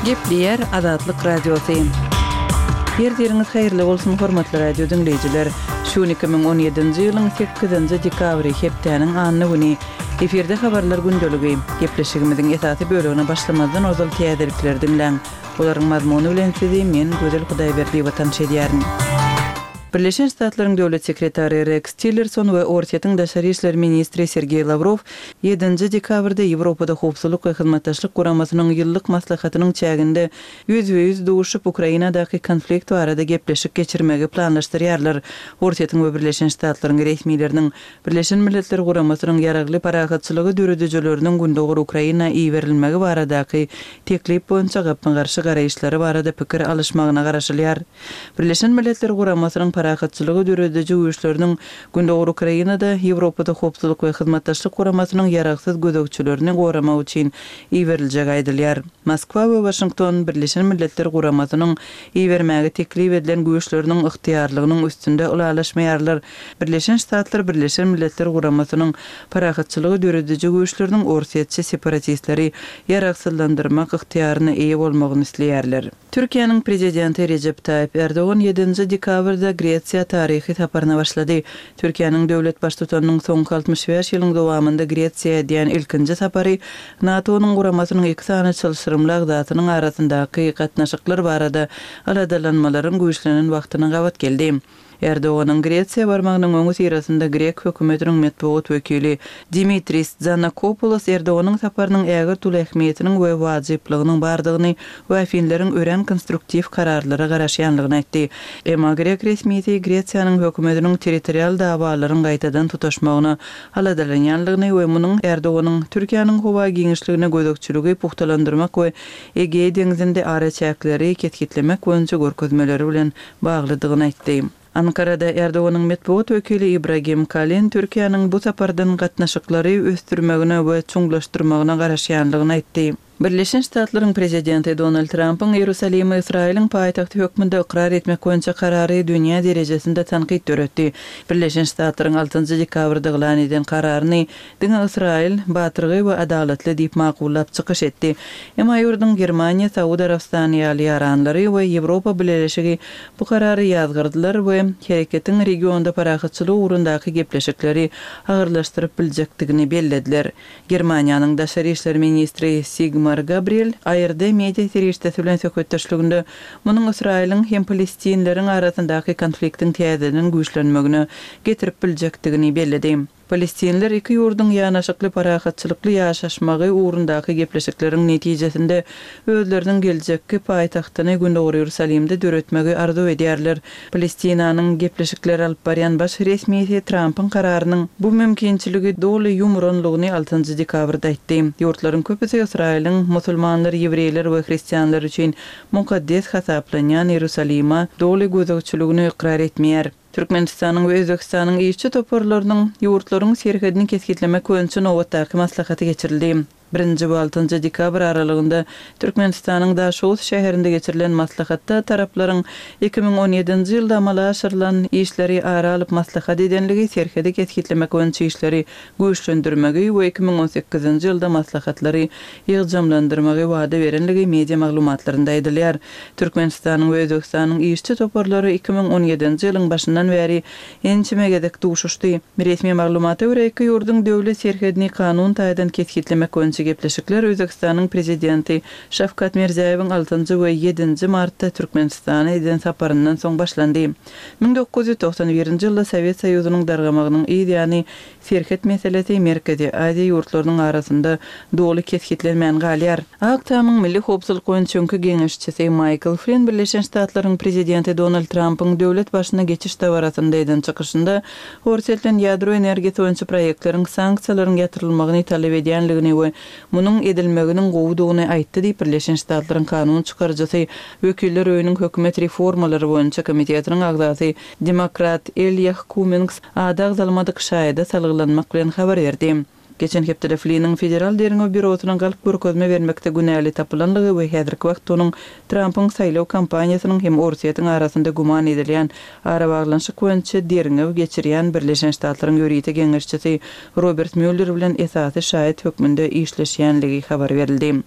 Gepleýär Azatlyk Radiosy. Ertiriňiz haýyrly bolsun, hormatly radio diňleýjiler! Şu gün 2017-nji ýylyň sekizinji dekabry, hepdäniň anna güni. Efirde habarlar gündeligi. Gepleşigimiziň esasy bölegine başlamazdan ozal täzelikleri diňläň. Olaryň mazmuny bilen sizi men, Gözel Hudaýberdiýewa tanyş edýärin. Birleşen Ştatlaryň Döwlet sekretary Reks Tillerson we Orsýetiň daşary işler ministri Sergeý Lawrow ýedinji dekabrda Ýewropada Howpsuzlyk we Hyzmatdaşlyk Guramasynyň ýyllyk maslahatynyň çäginde ýüzbe-ýüz duşup, Ukrainadaky konflikt barada gepleşik geçirmegi planlaşdyrýarlar. Orsýetiň we Birleşen Ştatlaryň resmileriniň Birleşen Milletler Guramasynyň ýaragly parahatçylygy döredijileriniň gündogar Ukraina iberilmegi baradaky teklip boýunça gapma-garşy garaýyşlary barada pikir alyşmagyna garaşylýar. Birleşen Milletler Guramasynyň parahatçylygy dörediji güýçleriniň gündogar Ukrainada Ýewropada Howpsuzlyk we Hyzmatdaşlyk Guramasynyň ýaragsyz gözegçilerini goramak üçin iberiljegi aýdylýar. Moskwa we Waşington Birleşen Milletler Guramasynyň ibermäge teklip edilen güýçleriniň ygtyýarlygynyň üstünde ylalaşmaýarlar. Birleşen Ştatlar Birleşen Milletler Guramasynyň parahatçylygy dörediji güýçleriniň orsýetçi separatistleri ýaragsyzlandyrmak ygtyýaryna eýe bolmagyny isleýärler. Türkiýäniň Prezidenti Rejep Taýyp Erdogan ýedinji dekabrda Gresiýa taryhy saparyna başlady. Türkiýäniň döwlet Baştutanynyň soňky 65 ýylyň dowamynda Gresiýa edýän ilkinji sapary NATO-nyň guramasynyň iki sany çylşyrymly agzasynyň arasyndaky gatnaşyklar barada aladalanmalaryň güýçlenen wagtyna gabat geldi. Erdoganyň Gresiýa barmagynyň öňüsyrasynda grek hökümetiniň metbugat wekili Dimitris Dzanakopoulos Erdoganyň saparynyň ägirt uly ähmiýetiniň we wajyplygynyň bardygyny we afinleriň örän konstruktiw kararlara garaşýanlygyny aýtdy. Emma grek resmisi Gresiýanyň hökümetiniň territorial dawalaryň gaýtadan tutaşmagyna aladalanýanlygyny we munuň Erdoganyň Türkiýäniň howa giňişligine gözegçiligi pugtalandyrmak we Egeý deňzinde araçäkleri kesgitlemek boýunça görkezmeleri bilen baglydygyny aýtdy. Ankarada Erdoganyň metbugat wekili Ibragim Kalin Türkiýäniň bu sapardan gatnaşyklary ösdürmegine we çuňlaşdyrmagyna garaşýanlygyny aýtdy. Birleşen Ştatlaryň Prezidenti Donald Trampyň Iýerusalimi Ysraýylyň paýtagty hökmünde ykrar etmek boýunça karary dünýä derejesinde tankyt döretdi. Birleşen Ştatlaryň altynjy dekabrda yglan eden kararyny Diňe Ysraýyl batyrgaý we adalatly diýip makullap çykyş etdi. Emma ýurduň Germaniýa, Saud Arabystany ýaly ýaranlary we Ýewropa Bileleşigi bu karary ýazgardylar we hereketiň regionda parahatçylyk ugrundaky gepleşikleri agyrlaşdyryp biljekdigini bellediler. Germaniýanyň daşary işler ministri Sigmar Gabriel ARD media serişdesi bilen söhbetdeşliginde munuň Ysraýylyň hem palestinleriň arasyndaky konfliktiň täzeden güýçlenmegine getirip biljekdigini belledi. Palestinler iki ýurduň ýanaşykly parahatçylykly ýaşaşmagy ugrundaky gepleşikleriň netijesinde özleriniň geljekki paýtagtyny Gündogar Iýerusalimde döretmegi arzuw edýärler. Palestinanyň gepleşikleri alyp barýan baş resmisi Trampyň kararynyň bu mümkinçiligi doly ýumuranlygyny altynjy dekabrda aýtdy. Ýurtlaryň köpüsi Ysraýylyň musulmanlar, ýewreýler we hristianlar üçin mukaddes hasaplanýan Iýerusalime doly gözegçiligini ykrar etmeýär. Türkmenistanyň we Özbegistanyň işçi toparlarynyň ýurtlaryň serhedini kesgitlemek boýunça nobatdaky maslahaty geçirildi. Birinji we altynjy dekabr aralygynda Türkmenistanyň Daşoguz şäherinde geçirilen maslahatda taraplaryň 2017-nji ýylda amala aşyrylan işleri ara alyp maslahat edenligi, serhedi kesgitlemek boýunça işleri güýçlendirmegi we 2018-nji ýylda maslahatlary ýygjamlandyrmagy wada berenligi media maglumatlarynda aýdylýar. Türkmenistanyň we Özbegistanyň işçi toparlary 2017-nji ýylyň başyndan bäri ençeme gezek duşuşdy. Resmi maglumata görä, iki ýurduň döwlet serhedini kanun taýdan kesgitlemek boýunça gepleşikler Özbegistanyň Prezidenti Şawkat Mirziýoýewiň altynjy we ýedinji martda Türkmenistana eden saparyndan soň başlandy. 1991-nji ýylda Sowet Soýuzynyň dargamagynyň yz ýany Serhet meselesi Merkezi Aziýa ýurtlarynyň arasynda doly kesgitlenmän galýar. Ak Tamyň milli howpsuzlyk boýunça öňki geňeşçisi Maýkl Flynn Birleşen Ştatlaryň Prezidenti Donald Trampyň döwlet başyna geçiş dabarasynda eden çykyşynda Orsýet bilen ýadro energiýasy boýunça proýektleriň sanksiýalaryň ýatyrylmagyny talap edýänligini we munuň edilmeginiň gowudygyny aýtdy diýip Birleşen Ştatlaryň kanun çykaryjysy Wekiller öýüniň hökümet reformalary boýunça komitetiniň agzasy demokrat Elýah Kummings ady agzalmadyk şaýada salgylanmak bilen habar berdi. Geçen hepdede Flynnyň Federal derňew býurosyna galp görkezme bermekde günäli tapylanlygy we häzirki wagtda onuň Trampyň saýlaw kampaniýasynyň hem Orsýetiň arasynda güman edilýän arabaglanyşyk boýunça derňew geçirýän Birleşen Ştatlaryň ýörite geňeşçisi Robert Mýuller bilen esasy şaýat hökmünde işleşýänligi habar berildi.